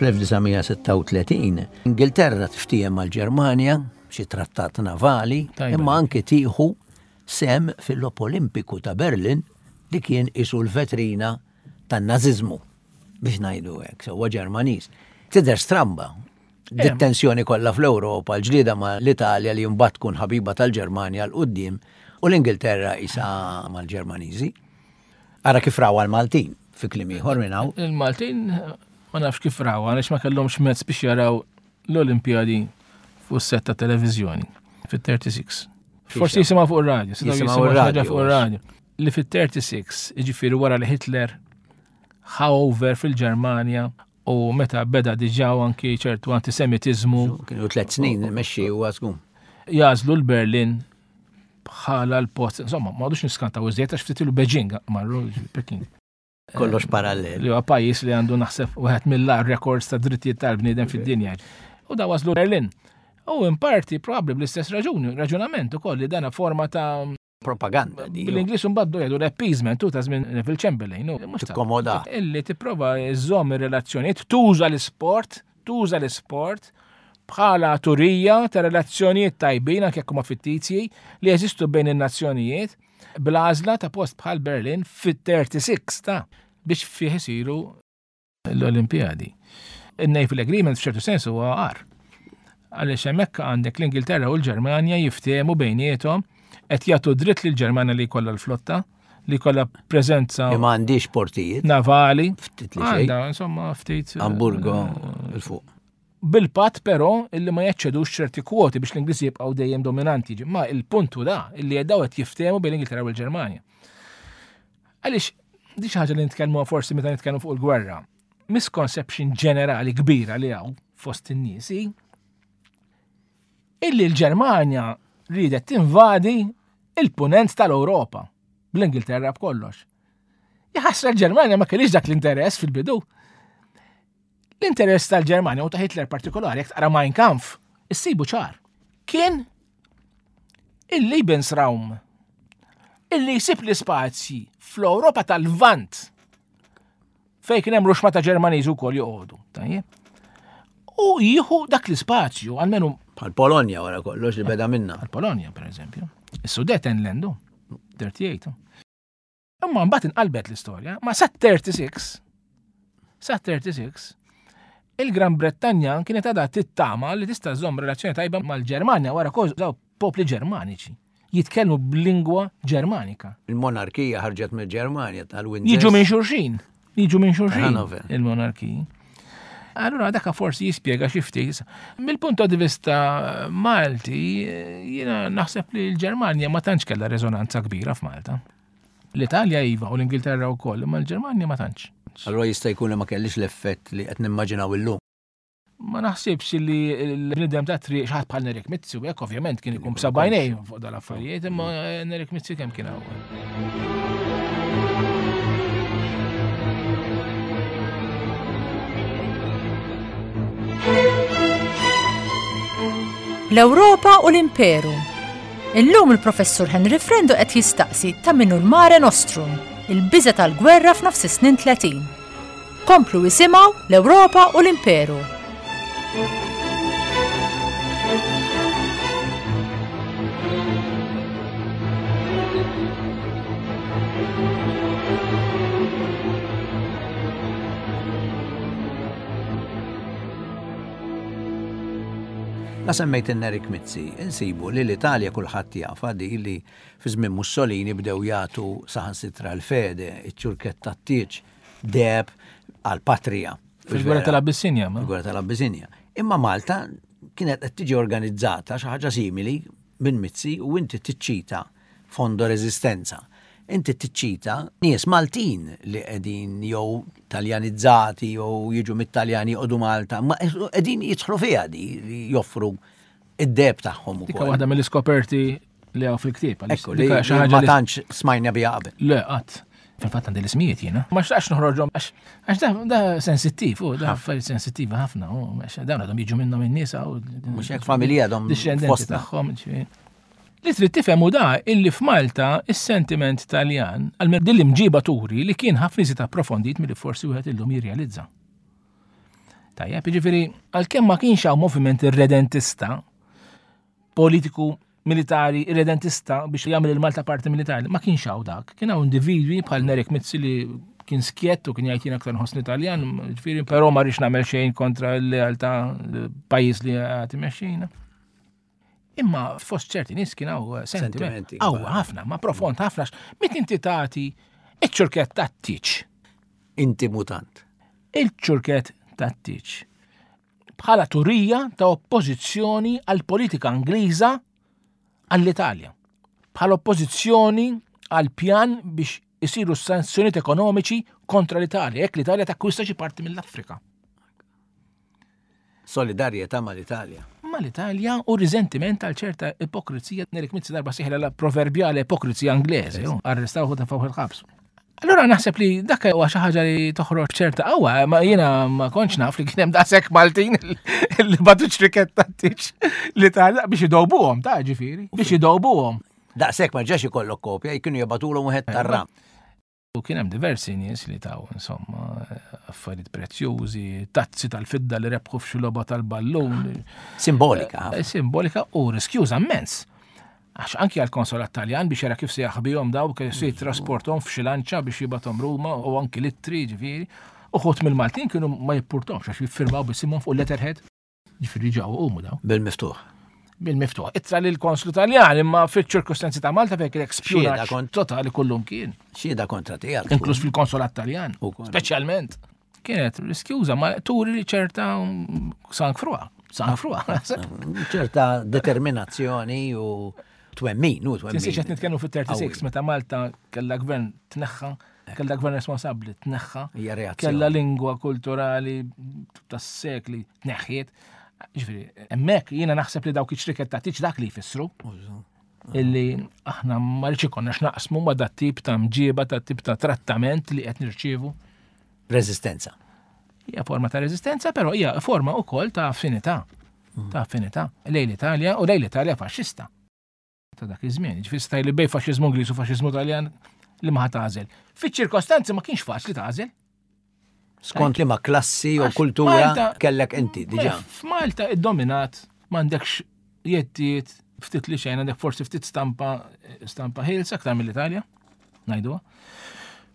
fl-elf disa' mija sitta u tletin Ingilterra tiftiehem mal-Ġermanja xi trattat navali, Tajba. imma anke tieħu sehem fil-Logħob Olimpiku ta' Berlin li kien isu l-vetrina tan-naziżmu biex ngħidu hekk, sewwa Ġermaniż. Tidher stramba. Dit-tensjoni kollha fl-Ewropa, l-ġlieda ma' l-Italja li mbagħad tkun ħabiba tal-Ġermanja 'l quddiem u l-Ingilterra isa mal-Ġermaniżi. Ara kif raw l-Maltin fi kliem ieħor minn hawn. Il-Maltin ma nafx kif raw, għaliex ma kellhomx mezz biex jaraw l-Olimpjadi fuq set ta' televiżjoni fit-thirty-six. Forsi jisimgħu fuq ir-radju, setgħu Jisimgħu jisimgħu ir-radju, ħaġa fuq ir-radju. Li fit-thirty-six, jiġifieri wara li Hitler ħa over fil-Ġermanja u meta beda diġà anki ċertu antisemitizmu. Kienu tliet snin mexxi u għasgum. Jagħżlu l-Berlin bħala l-post. Insomma, ma għadux niskantaw iżjed għax ftit ilu Beijing marru Peking. Kollox parallel. Li huwa pajjiż li għandu naħseb wieħed mill-agħar records ta' drittijiet tal-bniedem fid-dinja. U da waslu Berlin. U in parti probabbli bl-istess raġuni, raġunament ukoll li dana forma ta' propaganda di. Bil-Ingliż mbagħad jgħidu l-appeasement tu ta' żmien Neville Chamberlain. u mhux ta' Tikkomoda. Illi tipprova żżomm ir-relazzjonijiet, tuża l-isport, tuża l-isport bħala turija ta' relazzjonijiet tajbin anke jekk huma fittizji li jeżistu bejn in-nazzjonijiet bl-għażla ta' post bħal Berlin fit-thirty-six ta' biex fih isiru l-Olimpijadi. Il-Naval Agreement f'ċertu sens huwa għar. Għaliex hemmhekk għandek l-Ingilterra u l-Ġermanja jiftehmu bejniethom qed jagħtu dritt lill-Ġermanja li jkollha l-flotta, li jkollha preżenza Li ma għandix portijiet. navali. Ftit li xejn. Għandha, insomma, ftit. eh, Amburgo 'il fuq. Bil-pat però illi ma jaċċedux ċerti kwoti biex l-Ingliżi jibqgħu dejjem dominanti. Ma il-puntu da illi daw qed jiftehmu bejn l-Ingilterra u l-Ġermanja. Għaliex di xi ħaġa li nitkellmu forsi meta nitkellmu fuq il-gwerra. Misconception ġenerali kbira li hawn fost in-nies hi illi l-Ġermanja riedet tinvadi il-punent tal-Ewropa bl-Ingilterra b'kollox. Jaħasra l-Ġermanja ma kellix dak l-interess fil-bidu. L-interess tal-Ġermanja u ta' Hitler partikolari, jekk taqra Mein Kampf, issibu ċar. Kien il-Lebensraum illi jsib l-ispazji fl-Ewropa tal-Lvant fej kien hemm ruxma ta' Ġermaniżi wkoll joqogħdu. Tajjeb. U jieħu dak l-ispazju, almenu Bħal Polonja wara kollox li beda minna. Għal Polonja, per eżempju. Is-Sudetenland, thirty-eight. Imma mbagħad inqalbet l-istorja, ma sa thirty-six, sa thirty-six, il-Gran Brettanja kienet għadha tittama li tista' żomm relazzjoni tajba mal-Ġermanja wara kollox daw popli Ġermaniċi. Jitkellmu b'lingwa Ġermanika. Il-monarkija ħarġet mill-Ġermanja tal-Windsor. Jiġu minn xulxin. Jiġu minn xulxin. Hanover. Il-monarkiji. Allura daka forsi jispjega xi ftit. Mill-punt di vista Malti, jiena naħseb li l-Ġermanja ma tantx kellha reżonanza kbira f'Malta. L-Italja iva u l-Ingilterra wkoll, imma l-Ġermanja ma tantx. Allura jista' jkun li ma kellix l-effett li qed nimmaġinaw illum. Ma naħsibx li l-bniedem ta' triq xi ħadd bħal Nerik Mizzi, u hekk ovvjament kien ikun b'sebgħajnej fuq dal-affarijiet, imma Nerik Mizzi kemm kien hawn. L-Ewropa u l-Imperu. Illum il-Professur Henry Frendo qed jistaqsi ta' minnu l-Mare Nostrum, il-biża tal-gwerra f'nofs is-snin tletin. Komplu isimgħu l-Ewropa u l-Imperu. La semmejt Nerik Mizzi, insibu li l-Italja kulħadd jafha di li fi żmien Mussolini bdew jagħtu saħansitra l-fede, iċ-ċurkett tat-tieġ, deheb għall-patrija. Fil-gwerra tal-Abissinja. Fil-gwerra tal-Abissinja. Imma Malta kienet qed tiġi organizzata xi ħaġa simili minn Mizzi u inti tiċċita Fondo Resistenza. Inti tiċċita nies Maltin li qegħdin jew Taljanizzati jew jiġu mit-Taljani joqogħdu Malta, ma qegħdin jidħlu fiha di li joffru id-deheb tagħhom ukoll. Dika waħda mill-iskoperti li hawn fil-ktieb. Ekku, li ma tantx smajna biha qabel. Le, qatt. Fil-fatt għandi l-ismijiet jiena. Ma xtaqx noħroġhom għax da sensittiv, u da affarijiet sensittiva ħafna, u dawn għadhom jiġu minnhom in-nisa u mhux hekk familja għadhom dixxendenti tagħhom. Li trid tifhem hu da illi f'Malta is-sentiment Taljan għal din l-imġiba turi li kien ħafna iżjed approfondit milli forsi wieħed illum jirrealizza. Tajjeb, jiġifieri għalkemm ma kienx hawn moviment irredentista politiku militari irredentista biex jagħmel il-Malta parti militari, ma kienx hawn dak. Kien hawn individwi bħal Nerik Mizzi li kien skjett u kien jgħid jien aktar nħossni Taljan, jiġifieri però ma rridx nagħmel xejn kontra l-lealtà pajjiż li qed imexxina. Imma fost ċerti nies kien hawn sentimenti qawwi ħafna, ma profond ħafna, mit inti tagħti iċ-ċurkett tat-tieġ. Inti mutant. Il-ċurkett tat-tieġ. Bħala turija ta' oppożizzjoni għall-politika Ingliża għall-Italja. Bħala oppożizzjoni għal pjan biex isiru sanzjonijiet ekonomiċi kontra l-Italja, jekk l-Italja takkwista xi parti mill-Afrika. Solidarjetà mal-Italja. Mal-Italja u riżentiment għal ċerta ipokrizija. Nerik Mizzi darba sieħla la proverbjale ipokrizija Ingliżi, arrestaw u tefgħu il-ħabs. Allura naħseb li dak huwa xi ħaġa li toħroġ ċerta qawwa, ma jiena ma kontx naf li kien hemm daqshekk Maltin li batu ċriket tat-tieġ l-Italja biex idowbuhom, ta' ġifieri, biex idowbuhom. Daqshekk ma ġax ikollok kopja, jkienu jibgħatulhom wieħed tar-ram. U kien hemm diversi nies li taw insomma affarijiet prezzjużi, tazzi tal-fidda li rebħu f'xi logħba tal-ballun. Simbolika. Simbolika u riskjuża immens. Għax anki għall-konsolat Taljan biex jara kif se jaħbihom daw, kif se jitrasporthom f'xi lanċa biex jibgħathom Ruma u anki littri ġifieri. Uħud mill-Maltin kienu ma jippurtomx għax jiffirmaw bisimhom fuq letterhead. Ġifieri ġew qumu daw. Bil-miftuħ. Bil-miftuħ. Ittra lil konslu Taljan imma fiċ-ċirkustanzi ta' Malta fejn kien spjunaġġ totali kullum kien. Xhieda kontra tiegħek. Inkluż fil-konsolat Taljan. Speċjalment. Kienet riskjuża ma turi li ċerta sang frua. Sang frua. Ċerta determinazzjoni u twemmin, u twemmin. Tinsiex qed nitkellmu fit-thirty-six meta Malta kellha gvern tneħħa, kellha gvern responsabbli tneħħa, kellha lingwa kulturali tas-sekli tneħħiet. Ġifieri, hemmhekk jiena naħseb li dawk iċ-ċriket ta' tiġ dak li jfissru. Illi aħna ma rridx ikollna x'naqsmu ma' dat tip ta' mġiba, ta' tip ta' trattament li qed nirċievu. Reżistenza. Hija forma ta' reżistenza, però hija forma wkoll ta' affinità. Ta' affinità lejn l-Italja u lejn l-Italja faxxista. Ta' dak iż-żmien, ġifieri staj li bej faxxiżmu Ingliż u faxxiżmu Taljan li ma tagħżel. Fiċ-ċirkostanzi ma kienx faċli tagħżel. Skont li ma klassi u kultura kellek inti diġà. F'Malta iddominat m'għandekx jettijiet ftit li xejn, għandek forsi ftit stampa stampa ħielsa aktar mill-Italja, ngħiduha.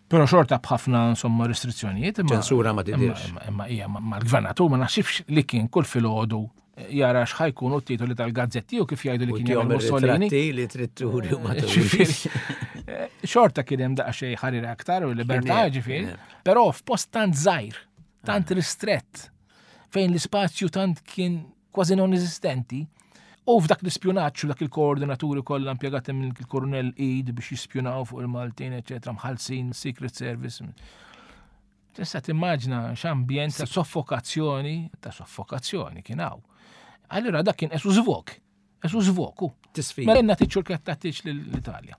Però xorta b'ħafna insomma restrizzjonijiet. Ċensura ma tidirx. Imma hija mal-gvernatur ma naħsibx li kien kull filgħodu jara x'ħajkunu t-titoli tal-gazzetti u kif jgħidu li kien jagħmel Mussolini. Li trid turi u ma turix. Xorta kien hemm daqsxejn ħarira aktar u libertà ġifieri, però f'post tant żgħir, tant ristrett, fejn l-ispazju tant kien kważi non-eżistenti, u f'dak l-ispjunaġġ u dak il-koordinaturi kollha impjegati minn il-Kurunell Eid biex jispjunaw fuq il-Maltin, eċetera, mħallsin, Secret Service. Tista' timmaġina x'ambjent ta' soffokazzjoni, ta' soffokazzjoni kien hawn. Allura dak kien esu żvok, esu żvoku. Tisfida. Mela nagħti ċurkett tagħtiġ lill-Italja.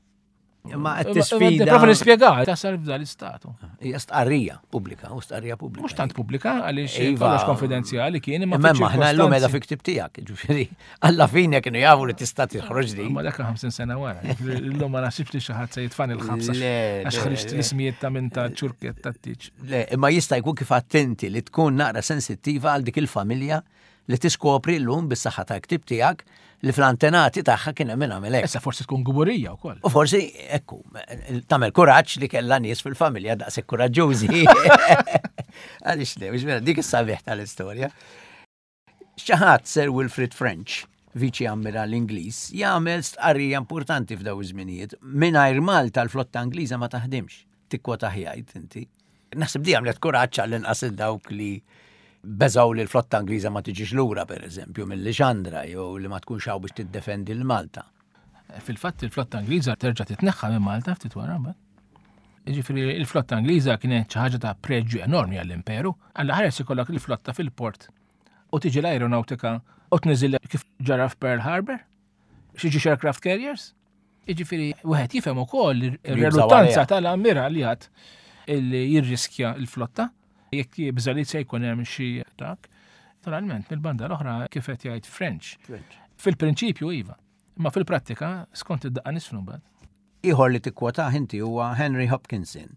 Imma qed tisfida. Prova nispjega, tasal f'dan l-istatu. Hija stqarrija pubblika, u stqarrija pubblika. Mhux tant pubblika għaliex Iva. kollox konfidenzjali kien imma Imma aħna llum qiegħda fi ktib tiegħek, ġifieri alla fine kienu jafu li tista' tiħroġ din. Ma dak ħamsin sena wara. Illum ma naħsibx li xi ħadd se jitfani l-ħabsa Le, għax le, ħriġt le. l-ismijiet ta' minn ta' ċurkiet ta' tiġ. Le, imma jista' jkun kif attenti li tkun naqra sensittiva għal dik il-familja li tiskopri llum bis-saħħa ta' ktib tiegħek li fl-antenati tagħha kien hemm min għamel hekk. Issa forsi tkun guburija wkoll. U forsi, ekku, tagħmel kuraġġ li kellha nies fil-familja daqshekk kuraġġużi. Għaliex le, mhux vera, dik is-sabiħ tal-istorja. Xi ħadd Sir Wilfrid French, viċi ammiral Ingliż, jagħmel stqarrija importanti f'daw iż-żminijiet. Mingħajr Malta l-flotta Ingliża ma taħdimx. Tikkwota ħjajt inti. Naħseb di għamlet kuraġġ għall-inqas dawk li beżaw li l-flotta Ingliża ma tiġix lura, per eżempju, mill-Lixandra, jew li ma tkunx hawn biex tiddefendi l-Malta. Fil-fatt il-flotta Ingliża terġa' titneħħa minn Malta ftit wara mbagħad. Jiġifieri il-flotta Ingliża kienet xi ħaġa ta' preġju enormi għall-imperu. Alla ħares ikollok il-flotta fil-port u tiġi l-aeronautika u tniżil kif ġara f'Pearl Harbor, xi ġiex aircraft carriers. Jiġifieri wieħed jifhem ukoll ir-reluttanza għaliha. tal-ammiraljat illi jirriskja l-flotta jekk jibża' li se jkun hemm xi dak. Naturalment, mill-banda l-oħra kif qed jgħid French. Fil-prinċipju iva, imma fil-prattika skont id-daqqa nisfnu mbagħad. Ieħor li tikkwotah inti huwa Henry Hopkinson.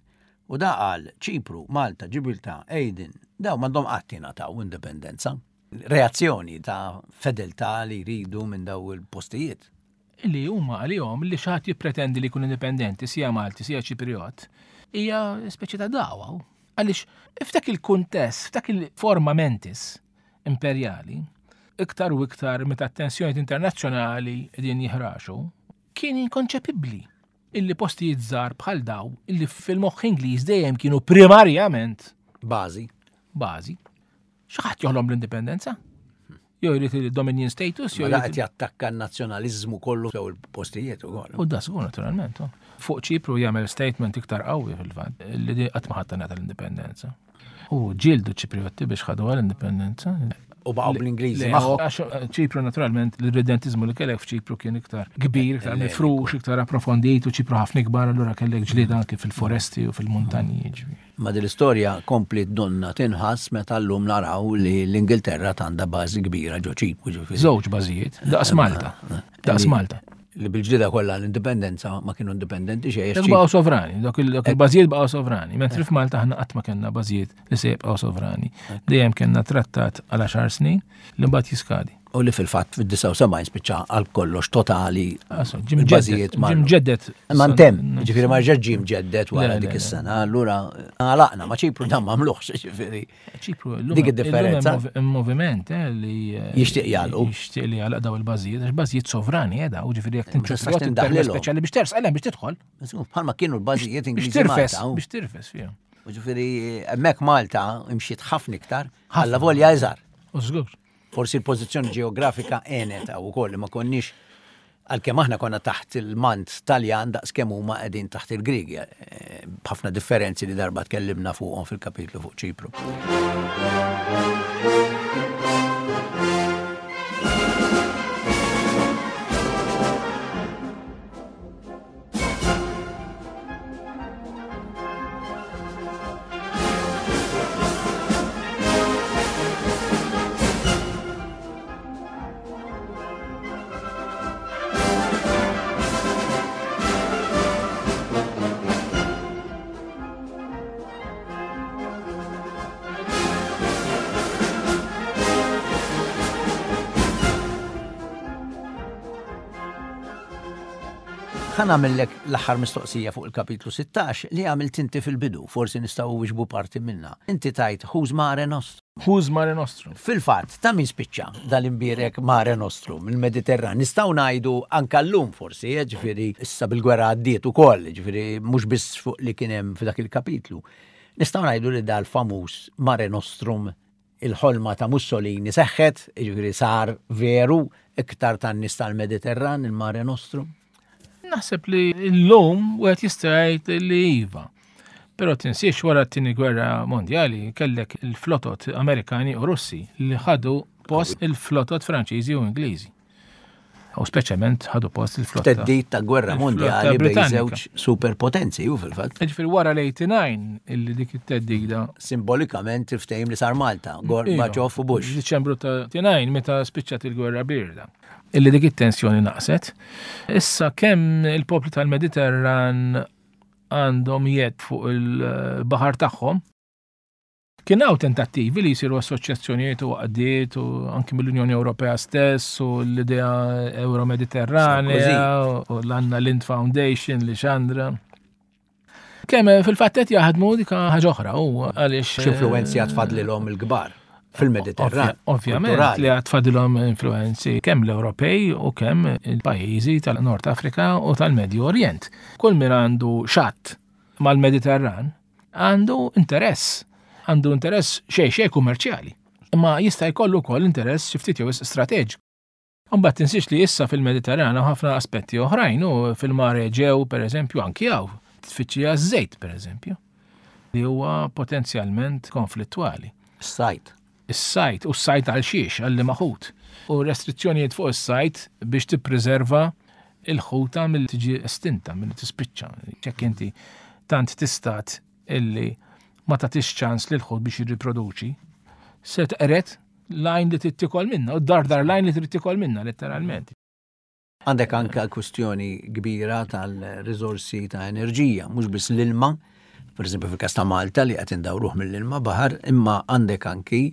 U da qal Ċipru, Malta, Ġibiltà, Aden, daw m'għandhom qatt jingħataw indipendenza. Reazzjoni ta' fedeltà li jridu minn daw il-postijiet. Illi huma għalihom li xi ħadd jippretendi li jkun indipendenti sija Malti, sija Ċipriot, hija speċi ta' dagħwa. Għaliex f'dak il-kuntest, f'dak il-forma mentis imperjali, iktar u iktar meta t-tensjonijiet internazzjonali qegħdin jiħraxu, kien inkonċepibbli illi postijiet żgħar bħal daw illi fil-moħħ Ingliż dejjem kienu primarjament Bażi. bażi. Xi ħadd joħlom l-indipendenza? Jew jrid il-dominion status, jew Ma da jrid qed jattakka n-nazzjonaliżmu kollu sew il-postijiet ukoll. U da żgur naturalment. oh. Fuq Ċipru jagħmel statement iktar qawwi fil-fatt li di qatt ma ħadd ngħata l-indipendenza. U ġieldu Ċipriotti biex ħadu l-indipendenza. U baqgħu bl-Ingliżi Le, magħhom. għax Ċipru naturalment l-irredentizmu li kellek f'Ċipru kien iktar kbir, iktar mifrux, iktar approfondit u Ċipru ħafna ikbar, allura kellek ġlieda anke fil-foresti u fil-muntanji. ġifieri. Ma din l-istorja kompli donna tinħass meta llum naraw li l-Ingilterra għandha bażi kbira ġo Ċipru ġifieri. Żewġ bażijiet, daqs Malta. Daqs Malta. Li bil-ġlida kollha l-indipendenza ma kienu indipendenti xejn. Dak baqgħu sovrani, dak il- dak il-bażijiet baqgħu sovrani, mentri f'Malta aħna qatt ma kellna bażijiet li se jibqgħu sovrani. Dejjem kellna trattat għal għaxar snin li mbagħad jiskadi. U li fil-fatt fid-disgħa u sebgħin spiċċa għal kollox totali Aso, ġim il-bażijiet ġeddet, marru. ġim ġeddet. Ma ntemm, ġifieri ma rġax ġie mġeddet wara Le, dik le, le. is-sena, allura għalaqna ma Ċipru dan m'għamluhx, ġifieri. Ċipru, illum- Dik id-differenza. illum hemm moviment eh, li eh, Jixtieq jagħlqu. Jixtieq li jagħlaq daw il-bażijiet, għax bażijiet sovrani eh, daw, ġifieri jekk Ma tistax tinċu tindaħlilhom. speċjali biex tersaq biex tidħol. Bħalma kienu l-bażijiet Biex Ingliżi tirfes, Malta. u- biex tirfes fihom. U Ġifieri hemmhekk Malta imxiet ħafna iktar, alla volja iżgħar. U żgur. Forsi l-pożizzjoni ġeografika għenet hawn ukoll li ma konniex għalkemm aħna konna taħt il-mant Taljan daqs kemm huma qegħdin taħt il-Griegi, eh, b'ħafna differenzi li darba tkellimna fuqhom fil-kapitlu fuq Ċipru. Ħa nagħmillek l-aħħar mistoqsija fuq il-kapitlu sittax li għamilt inti fil-bidu, forsi nistgħu wiġbu parti minna. Inti tajt Who's Mare Nostrum. Who's Mare Nostrum? Fil-fatt, ta' min spiċċa dal-imbierek Mare Nostrum, il-Mediterran. Nistgħu ngħidu anka llum forsi, eh, ġifieri issa bil-gwerra għaddiet ukoll, ġifieri mhux biss fuq li kien hemm f'dak il-kapitlu. Nistgħu ngħidu li dal-famuż Mare Nostrum il-ħolma ta' Mussolini seħħet, ġifieri sar veru iktar tan-nies tal-Mediterran, il-Mare Nostrum. Naħseb li l-lum wieħed jista' jgħid li iva. Però tinsiex wara t-tieni gwerra mondjali kellek il-flotot Amerikani u Russi li ħadu post il-flotot Franċiżi u Ingliżi. U speċjalment ħadu post il-flotta. Theddid ta' gwerra mondjali bejn żewġ superpotenzi u fil-fatt. Ġifieri wara l-eighty-nine illi dik it-theddida. Simbolikament il-ftehim li sar Malta, Gorbachev u Bush. Diċembru ta' eighty-nine meta spiċċat il-gwerra birda. Illi dik it-tensjoni naqset. Issa kemm il-popli tal-Mediterran għandhom jed fuq il-baħar tagħhom, kien hawn tentattivi li jsiru assoċjazzjonijiet u għaqdiet u anki mill-Unjoni Ewropea stess u l-idea Euro-Mediterranea u l-Anna Lindh Foundation li xandra. Kemm fil-fatt qed jaħdmu dik ħaġa oħra u għaliex X'influwenzi għad fadlilhom il-kbar fil-Mediterran? Ovvjament li għad fadlilhom influenzi kemm l-Ewropej u kemm il-pajjiżi tal-Nord Afrika u tal-Medju Orient. Kull min għandu xatt mal-Mediterran għandu interess. Għandu interess xej xej kummerċjali. Imma jista' jkollu wkoll interess xi ftit jew strateġiku. Imbagħad tinsiex li issa fil-Mediterran hawn ħafna aspetti oħrajn u fil-Mar Eġew pereżempju anki hawn tfittxija żejt pereżempju li huwa potenzjalment konflittwali. Is-sajt. Is-sajt u s-sajt għal xiex għal liema ħut. U restrizzjonijiet fuq is-sajt biex tippreserva il-ħuta milli tiġi estinta, milli tispiċċa. Jekk inti tant tistat illi ma tagħtix ċans lil ħut biex jirriproduċi, se tqeret l-għajn li trid tikol minna, u dardar l-għajn li trid tikol minna, letteralment. Għandek anka kwistjoni kbira tal-riżorsi ta' enerġija, mhux biss l-ilma, per eżempju fil-każ ta' Malta li qed indawruh mill-ilma baħar, imma għandek anki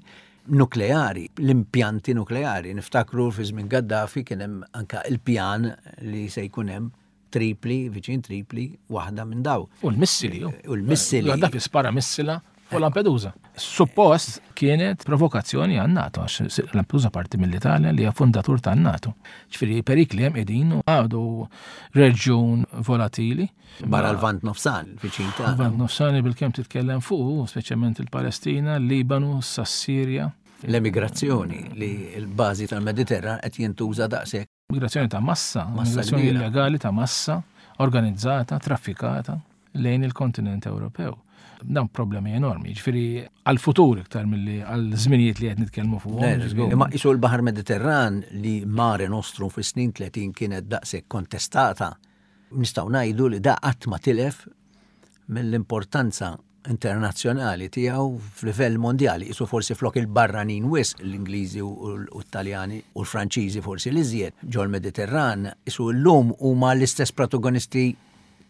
nukleari, l-impjanti nukleari. Niftakru fi żmien Gaddafi kien hemm anka il-pjan li se jkun hemm Tripli, viċin Tripli, waħda minn daw. U l-missili. U l-missili. Gaddafi spara missila fuq Lampedusa. Suppost kienet provokazzjoni għan NATO, għax Lampedusa parti mill-Italja li hija fundatur tan NATO. Ġifieri perikli hemm qegħdin u għadu reġjun volatili. Barra l-Lvant Nofsani, viċin ta' Lvant Nofsani bil-kemm titkellem fuq, speċjalment il-Palestina, il-Libanu, s-Sirja. L-emigrazzjoni li l-bażi tal-Mediterran qed jintuża daqshekk. Migrazzjoni ta' massa, Massa migrazzjoni kbira. illegali ta' massa, organizzata, traffikata lejn il-kontinent Ewropew. Dan problemi enormi, ġifieri għal-futur iktar milli għal-żminijiet li qed nitkellmu fuqhom. Le, żgur. Imma isu l-Baħar Mediterran li Mare Nostrum fis-snin tletin kienet daqshekk kontestata, nistgħu ngħidu li da qatt ma tilef mill-importanza internazzjonali tiegħu f'livell mondjali, isu forsi flok il-barranin wisq l-Ingliżi u l-Taljani u l-Franċiżi forsi l-iżjed ġol-Mediterran, isu llum huma l-istess protagonisti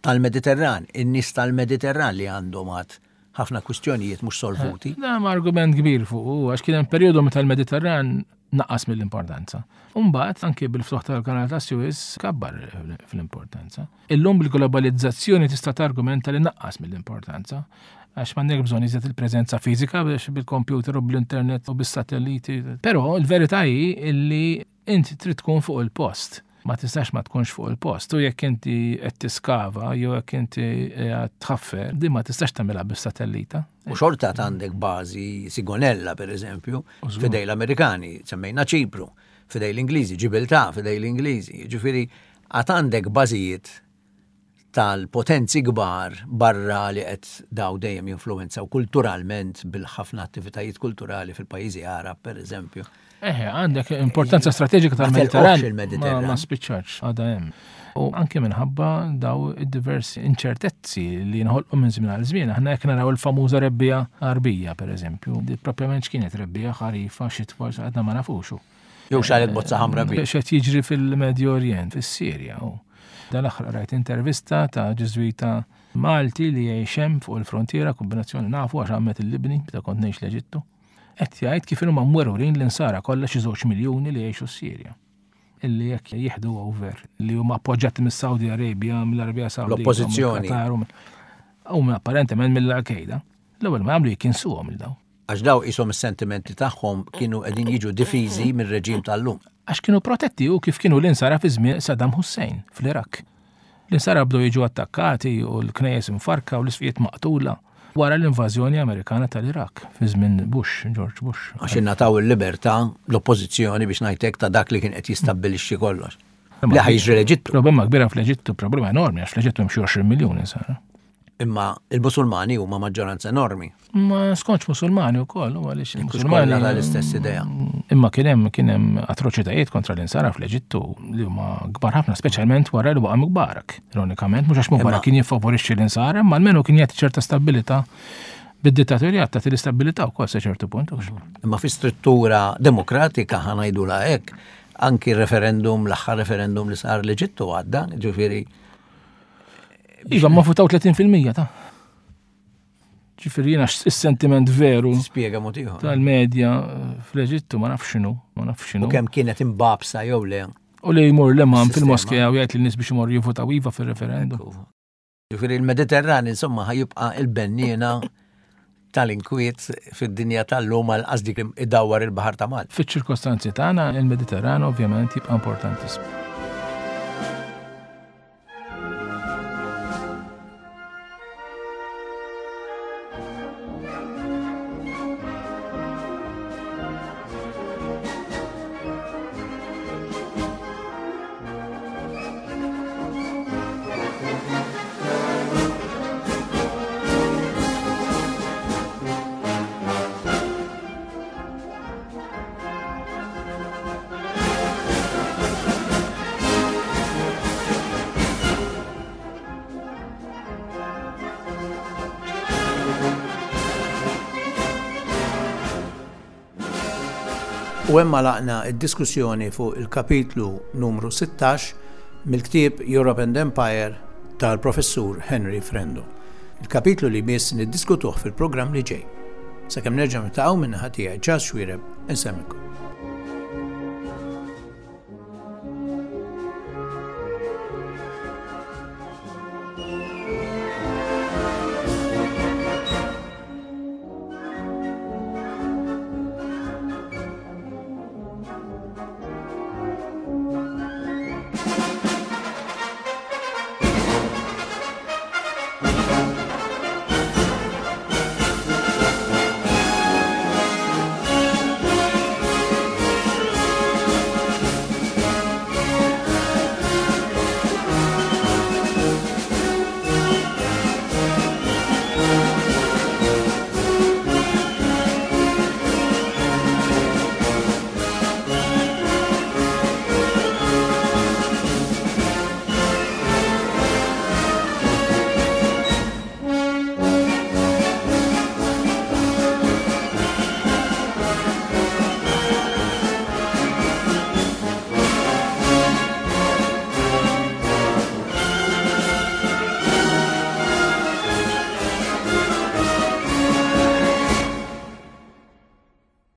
tal-Mediterran, in-nies tal-Mediterran li għandhom għad ħafna kwistjonijiet mhux solvuti. Dan hemm argument kbir fuq, għax kien hemm perjodu meta l-Mediterran naqas mill-importanza. Umbagħad anke bil-ftuħ tal-Kanal ta' Suez kabbar fl-importanza. Illum bil-globalizzazzjoni tista' targumenta li naqqas mill-importanza, għax m'għandek bżonn iżjed il-preżenza fiżika biex bil-computer u bl-internet u bis-satelliti. Però l-verità hi illi inti trid tkun fuq il-post. Ma tistax ma tkunx fuq il-post. U jekk inti qed tiskava jew jekk inti qed tħaffer, din ma tistax tagħmilha bis-satellita. U xorta għandek bażi Sigonella, per eżempju, U żgur. fidej l-Amerikani, semmejna Ċipru, fidej l-Ingliżi, Ġibiltà, fidej l-Ingliżi. Ġifieri, għad għandek bażijiet tal-potenzi kbar barra li qed daw dejjem jinfluwenzaw kulturalment bil-ħafna attivitajiet kulturali fil-pajjiżi Arab, per eżempju. Eħe, għandek importanza strateġika Ma tal-Mediterran. telqox il-Mediterran. Ma, ma spiċċax, għadha hemm. U anke minħabba daw id-diversi inċertezzi li nħolqu minn żmien għal żmien. Aħna jekk naraw il-famuża rebbija Arbija, per eżempju, di propjament x'kienet rebbija, ħarifa, xitwa, għadna ma nafuxu. Jew xalet bozza ħamra bi. X'qed jiġri fil-Medju Orient, fis-Sirja. U dan l-aħħar rajt intervista ta' Ġiżwita Malti li jgħix hemm fuq il-frontiera, kombinazzjoni nafu għax għammet il-Libni, meta kont ngħix l-Eġittu. Qed jgħid kif huma mwerwrin l-insara kollha xi żewġ miljuni li jgħixu s-Sirja. Illi jekk jieħdu over, li huma appoġġjati mis-Saudi Arabia, mill-Arabja Sawdita, L-oppożizzjoni. mill-Qatar, u mill-, u minn apparentement mill-Al-Qaeda. L-ewwel ma jagħmlu jikinsuhom il daw. Għax daw qishom is-sentimenti tagħhom kienu qegħdin jiġu difiżi mir-reġim tal-lum. Għax kienu protetti u kif kienu l-insara fi żmien Saddam Hussein fl-Iraq. L-insara bdew jiġu attakkati u l-knejjes imfarka u l-isfijiet maqtula wara l-invażjoni Amerikana tal-Iraq fi żmien Bush, George Bush. Għax ingħataw il-libertà l-oppożizzjoni biex ngħidlek ta' dak li kien qed jistabbilixxi kollox. Li ħa jiġri l-Eġittu. Problema kbira fl-Eġittu, problema enormi, għax fl-Eġittu hemm xi għoxrin miljun insara. Imma il-Musulmani huma maġġoranza enormi. Ma skontx Musulmani wkoll, u għaliex il-Musulmani l-istess idea. Imma kien hemm kien hemm atroċitajiet kontra l-insara fl-Eġittu li huma kbar ħafna, speċjalment wara li waqa' Mubarak. Ironikament, mhux għax Mubarak kien jiffavorixxi l-insara, imma almenu kien jagħti ċerta stabilità bid-dittatorjat tagħti l-istabilità wkoll sa ċertu punt. Imma fi struttura demokratika ħa ngħidulha hekk, anki referendum, l-aħħar referendum li sar l-Eġittu għadda, ġifieri. Iva, ma votaw tletin fil-mija ta' ġifieri jiena is-sentiment veru. Spjega mod ieħor. Tal-medja fl-Eġittu ma nafx x'inhu, ma nafx x'inhu. U kemm kienet imbabsa jew le. U li jmur l-imam fil-moskea u jgħid lin-nies biex imorru jivvotaw iva fir-referendum. Ġifieri l-Mediterran insomma ħajibqa' il-benniena tal-inkwiet fid-dinja tal-lum għal qas dik li idawwar il-Baħar ta' Malta. Fiċ-ċirkostanzi tagħna il-Mediterran ovvjament jibqa' importantissimu. U hemm għalaqna d-diskussjoni fuq il-kapitlu numru sittax mill-ktieb Europe and Empire tal-professur Henry Frendo. Il-kapitlu li jmiss niddiskutuh fil-programm li ġej. Sakemm nerġa' niltaqgħu minn naħa tiegħi Charles Xuereb, insemmilkom.